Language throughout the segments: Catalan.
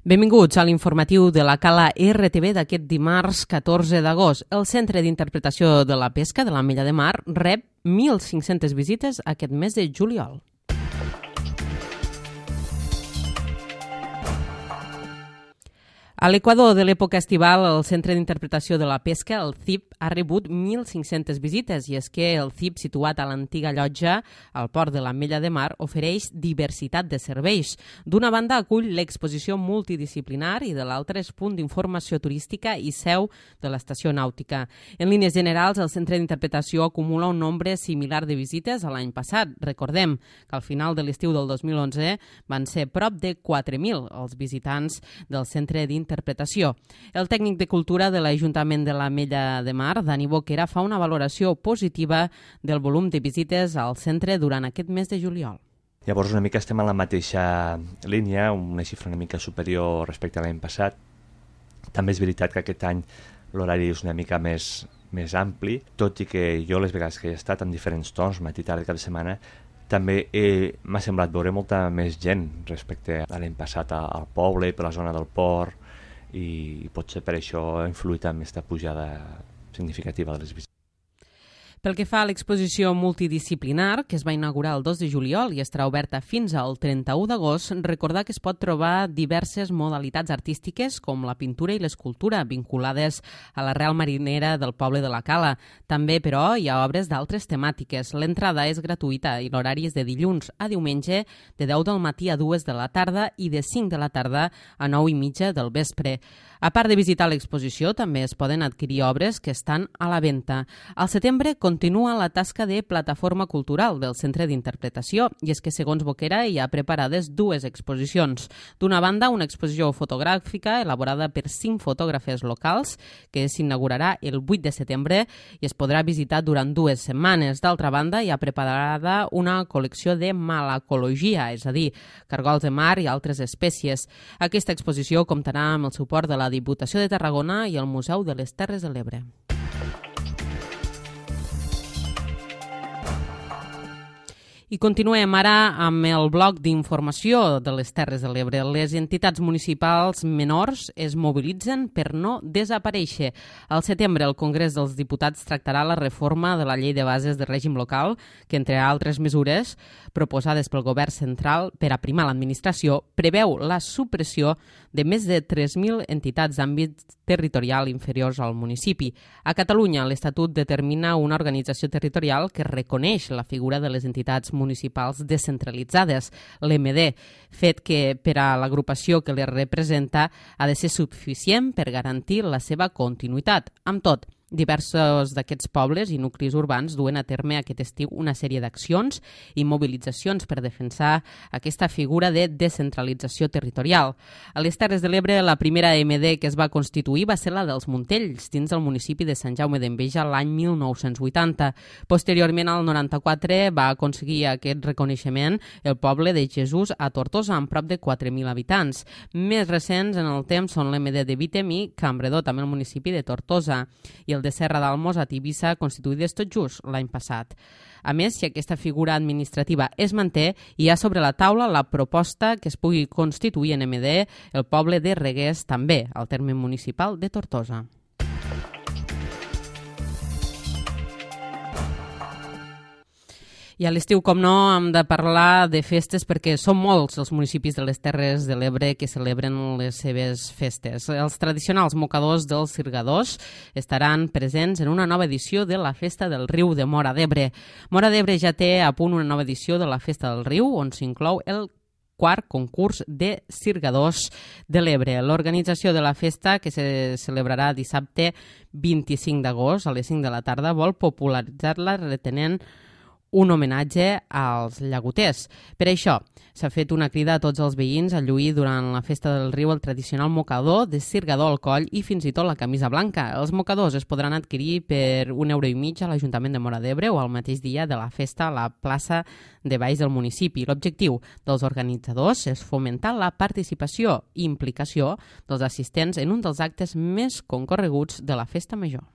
Benvinguts a l'informatiu de la Cala RTV d'aquest dimarts 14 d'agost. El Centre d'Interpretació de la Pesca de l'Ametlla de Mar rep 1.500 visites aquest mes de juliol. A l'equador de l'època estival, el Centre d'Interpretació de la Pesca, el CIP, ha rebut 1.500 visites i és que el CIP, situat a l'antiga llotja al port de l'Ametlla de Mar, ofereix diversitat de serveis. D'una banda acull l'exposició multidisciplinar i de l'altra és punt d'informació turística i seu de l'estació nàutica. En línies generals, el Centre d'Interpretació acumula un nombre similar de visites a l'any passat. Recordem que al final de l'estiu del 2011 van ser prop de 4.000 els visitants del Centre d'Interpretació. El tècnic de cultura de l'Ajuntament de l'Ametlla de Mar, Dani Boquera, fa una valoració positiva del volum de visites al centre durant aquest mes de juliol. Llavors una mica estem en la mateixa línia, una xifra una mica superior respecte a l'any passat. També és veritat que aquest any l'horari és una mica més ampli, tot i que jo les vegades que he estat en diferents torns, matí, tarda, cap de setmana, també m'ha semblat veure molta més gent respecte a l'any passat al poble, per la zona del port, i potser per això ha influït en aquesta pujada significativa de les visites. Pel que fa a l'exposició multidisciplinar, que es va inaugurar el 2 de juliol i estarà oberta fins al 31 d'agost, recordar que es pot trobar diverses modalitats artístiques com la pintura i l'escultura vinculades a l'arrel marinera del poble de la Cala. També, però, hi ha obres d'altres temàtiques. L'entrada és gratuïta i l'horari és de dilluns a diumenge de 10 del matí a 2 de la tarda i de 5 de la tarda a 9:30 del vespre. A part de visitar l'exposició, també es poden adquirir obres que estan a la venda. Al setembre continua la tasca de plataforma cultural del Centre d'Interpretació i és que, segons Boquera, hi ha preparades dues exposicions. D'una banda, una exposició fotogràfica elaborada per 5 fotògrafes locals que s'inaugurarà el 8 de setembre i es podrà visitar durant 2 setmanes. D'altra banda, hi ha preparada una col·lecció de malacologia, és a dir, cargols de mar i altres espècies. Aquesta exposició comptarà amb el suport de la Diputació de Tarragona i el Museu de les Terres de l'Ebre. I continuem ara amb el bloc d'informació de les Terres de l'Ebre. Les entitats municipals menors es mobilitzen per no desaparèixer. Al setembre, el Congrés dels Diputats tractarà la reforma de la Llei de Bases de Règim Local, que, entre altres mesures proposades pel Govern central per aprimar l'administració, preveu la supressió de més de 3.000 entitats d'àmbit territorial inferiors al municipi. A Catalunya, l'Estatut determina una organització territorial que reconeix la figura de les entitats municipals descentralitzades, l'MD, fet que per a l'agrupació que les representa ha de ser suficient per garantir la seva continuïtat. Amb tot, diversos d'aquests pobles i nuclis urbans duen a terme aquest estiu una sèrie d'accions i mobilitzacions per defensar aquesta figura de descentralització territorial. A les Terres de l'Ebre, la primera MD que es va constituir va ser la dels Montells, dins del municipi de Sant Jaume d'Enveja l'any 1980. Posteriorment, al 94, va aconseguir aquest reconeixement el poble de Jesús a Tortosa, amb prop de 4.000 habitants. Més recents en el temps són l'MD de Vítem i Cambredó, també el municipi de Tortosa, i el de Serra d'Almos a Tivissa, constituïdes tot just l'any passat. A més, si aquesta figura administrativa es manté, hi ha sobre la taula la proposta que es pugui constituir en MD el poble de Reguers, també al terme municipal de Tortosa. I a l'estiu, com no, hem de parlar de festes perquè són molts els municipis de les Terres de l'Ebre que celebren les seves festes. Els tradicionals mocadors dels Sirgadors estaran presents en una nova edició de la Festa del Riu de Móra d'Ebre. Móra d'Ebre ja té a punt una nova edició de la Festa del Riu, on s'inclou el quart concurs de Sirgadors de l'Ebre. L'organització de la festa, que se celebrarà dissabte 25 d'agost a les 5 de la tarda, vol popularitzar-la retenent un homenatge als llagoters. Per això, s'ha fet una crida a tots els veïns a lluir durant la Festa del Riu el tradicional mocador de Sirgador al coll i fins i tot la camisa blanca. Els mocadors es podran adquirir per €1,50 a l'Ajuntament de Móra d'Ebre o al mateix dia de la festa a la plaça de Baix del municipi. L'objectiu dels organitzadors és fomentar la participació i implicació dels assistents en un dels actes més concorreguts de la Festa Major.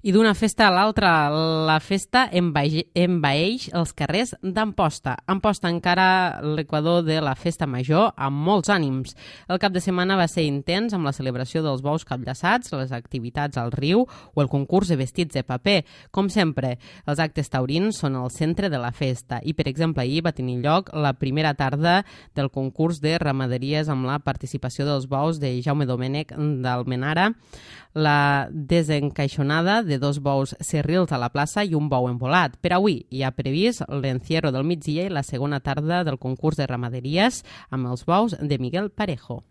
I d'una festa a l'altra, la festa envaeix els carrers d'Amposta. Amposta encara l'equador de la festa major amb molts ànims. El cap de setmana va ser intens amb la celebració dels bous capllaçats, les activitats al riu o el concurs de vestits de paper. Com sempre, els actes taurins són el centre de la festa i, per exemple, ahir va tenir lloc la primera tarda del concurs de ramaderies amb la participació dels bous de Jaume Domènech d'Almenara, la desencaixonada de 2 bous cerrils a la plaça i un bou embolat. Per avui hi ha previst l'encierro del migdia i la segona tarda del concurs de ramaderies amb els bous de Miguel Parejo.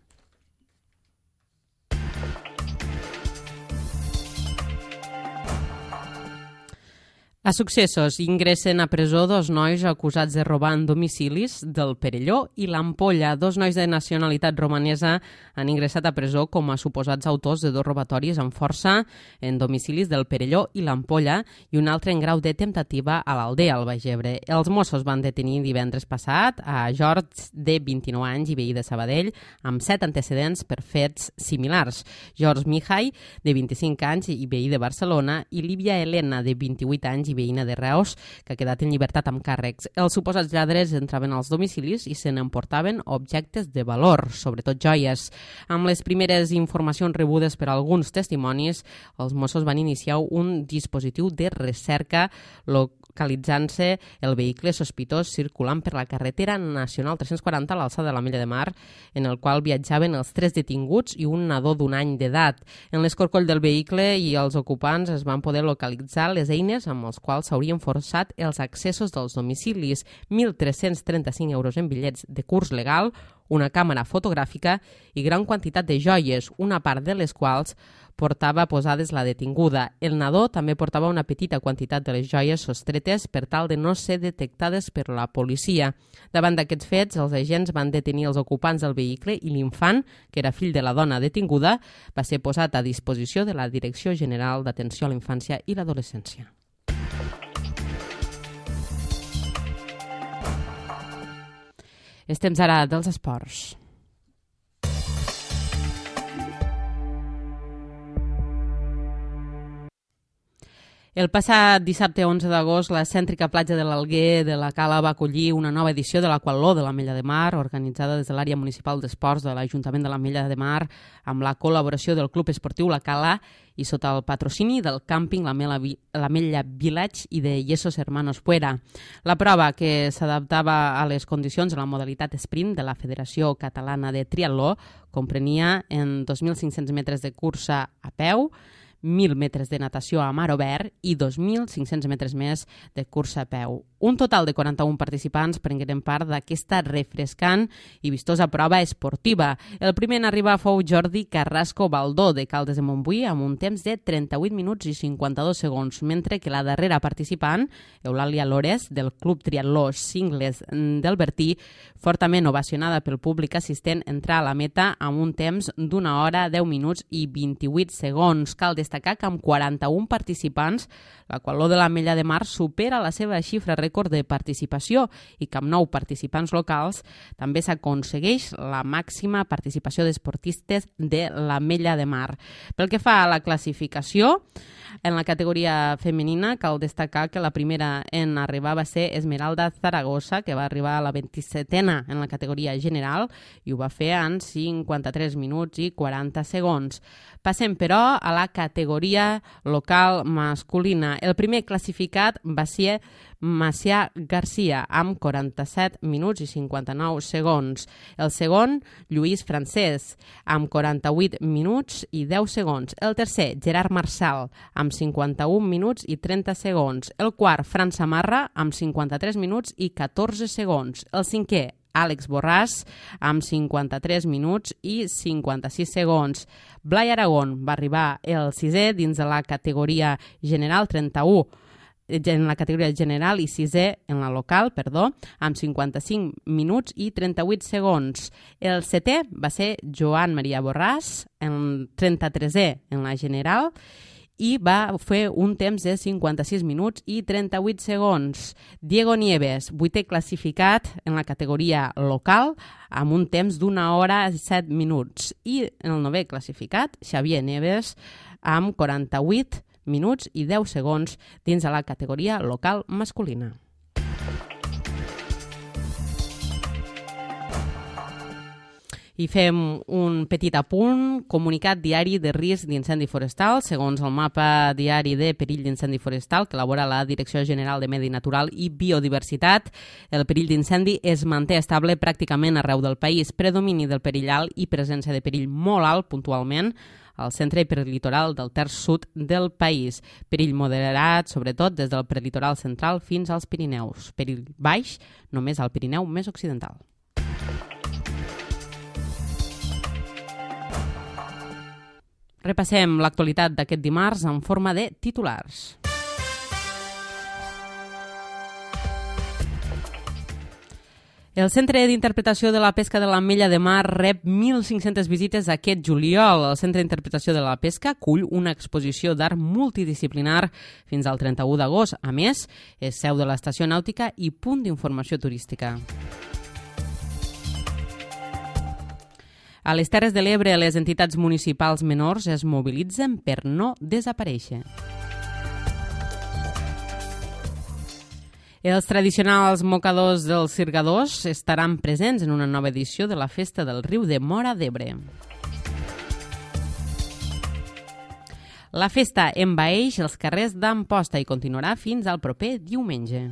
A Successos ingressen a presó 2 nois acusats de robar en domicilis del Perelló i l'Ampolla. 2 nois de nacionalitat romanesa han ingressat a presó com a suposats autors de 2 robatoris amb força en domicilis del Perelló i l'Ampolla i un altre en grau de temptativa a l'Aldea, al Baix Ebre. Els Mossos van detenir divendres passat a George, de 29 anys i veí de Sabadell, amb 7 antecedents per fets similars. George Mihai, de 25 anys i veí de Barcelona, i Lívia Helena, de 28 anys i veïna de Reus, que ha quedat en llibertat amb càrrecs. Els suposats lladres entraven als domicilis i se n'emportaven objectes de valor, sobretot joies. Amb les primeres informacions rebudes per alguns testimonis, els Mossos van iniciar un dispositiu de recerca localitzant-se el vehicle sospitós circulant per la carretera nacional 340 a l'alçada de l'Ametlla de Mar, en el qual viatjaven els 3 detinguts i un nadó d'1 any d'edat. En l'escorcoll del vehicle i els ocupants es van poder localitzar les eines amb els quals s'haurien forçat els accessos dels domicilis, 1.335 euros en bitllets de curs legal, una càmera fotogràfica i gran quantitat de joies, una part de les quals portava posades la detinguda. El nadó també portava una petita quantitat de les joies sostretes per tal de no ser detectades per la policia. Davant d'aquests fets, els agents van detenir els ocupants del vehicle i l'infant, que era fill de la dona detinguda, va ser posat a disposició de la Direcció General d'Atenció a la Infància i l'Adolescència. És temps ara dels esports. El passat dissabte 11 d'agost, la cèntrica platja de l'Alguer de la Cala va acollir una nova edició de l'Aquatló de l'Ametlla de Mar, organitzada des de l'àrea municipal d'esports de l'Ajuntament de l'Ametlla de Mar, amb la col·laboració del Club Esportiu La Cala i sota el patrocini del càmping l'Ametlla Village i de Yesos Hermanos Puera. La prova, que s'adaptava a les condicions de la modalitat sprint de la Federació Catalana de Triatló, comprenia en 2.500 metres de cursa a peu, 1.000 metres de natació a mar obert i 2.500 metres més de cursa a peu. Un total de 41 participants prengueren part d'aquesta refrescant i vistosa prova esportiva. El primer en arribar fou Jordi Carrasco Baldó, de Caldes de Montbui, amb un temps de 38 minuts i 52 segons, mentre que la darrera participant, Eulàlia Lores, del Club Triatló Cingles del Bertí, fortament ovacionada pel públic assistent, entrà a la meta amb un temps d'1 hora, 10 minuts i 28 segons. Cal destacar que amb 41 participants, l'Aquatló de l'Ametlla de Mar supera la seva xifra rècord de participació i que amb 9 participants locals també s'aconsegueix la màxima participació d'esportistes de l'Ametlla de Mar. Pel que fa a la classificació, en la categoria femenina cal destacar que la primera en arribar va ser Esmeralda Zaragoza, que va arribar a la 27a en la categoria general i ho va fer en 53 minuts i 40 segons. Passem, però, a la categoria local masculina. El primer classificat va ser Macià Garcia, amb 47 minuts i 59 segons. El segon, Lluís Francès, amb 48 minuts i 10 segons. El tercer, Gerard Marçal, amb 51 minuts i 30 segons. El quart, Fran Samarra, amb 53 minuts i 14 segons. El cinquè, Àlex Borràs, amb 53 minuts i 56 segons. Blai Aragón va arribar el sisè dins de la categoria general, 31 en la categoria general i sisè en la local, amb 55 minuts i 38 segons. El setè va ser Joan Maria Borràs, en 33è en la general, i va fer un temps de 56 minuts i 38 segons. Diego Nieves, 8è classificat en la categoria local, amb un temps d'1 hora i 7 minuts. I en el 9è classificat, Xavier Nieves, amb 48 minuts i 10 segons dins de la categoria local masculina. I fem un petit apunt, comunicat diari de risc d'incendi forestal. Segons el mapa diari de perill d'incendi forestal que elabora la Direcció General de Medi Natural i Biodiversitat, el perill d'incendi es manté estable pràcticament arreu del país. Predomini del perill alt i presència de perill molt alt puntualment al centre i prelitoral del terç sud del país. Perill moderat, sobretot des del prelitoral central fins als Pirineus. Perill baix, només al Pirineu més occidental. Repassem l'actualitat d'aquest dimarts en forma de titulars. El Centre d'Interpretació de la Pesca de l'Ametlla de Mar rep 1.500 visites aquest juliol. El Centre d'Interpretació de la Pesca acull una exposició d'art multidisciplinar fins al 31 d'agost. A més, és seu de l'estació nàutica i punt d'informació turística. A les Terres de l'Ebre, les entitats municipals menors es mobilitzen per no desaparèixer. Els tradicionals mocadors dels Cirgadors estaran presents en una nova edició de la Festa del Riu de Móra d'Ebre. La festa envaeix els carrers d'Amposta i continuarà fins al proper diumenge.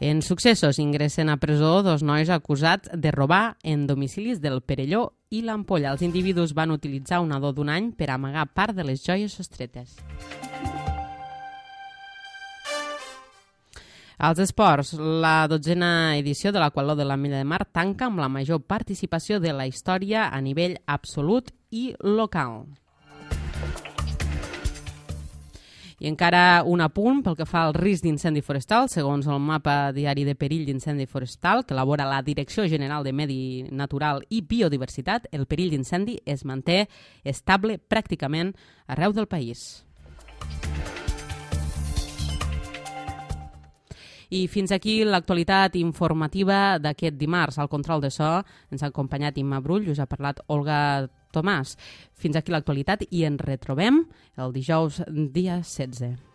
En successos, ingressen a presó 2 nois acusats de robar en domicilis del Perelló i l'Ampolla. Els individus van utilitzar un nadó d'1 any per amagar part de les joies sostretes. Als esports, la 12a edició de l'Aqualó de l'Ametlla de Mar tanca amb la major participació de la història a nivell absolut i local. I encara un apunt pel que fa al risc d'incendi forestal. Segons el mapa diari de perill d'incendi forestal que elabora la Direcció General de Medi Natural i Biodiversitat, el perill d'incendi es manté estable pràcticament arreu del país. I fins aquí l'actualitat informativa d'aquest dimarts. Al control de so ens ha acompanyat Imma Brull i us ha parlat Olga Tomàs. Fins aquí l'actualitat i ens retrobem el dijous dia 16.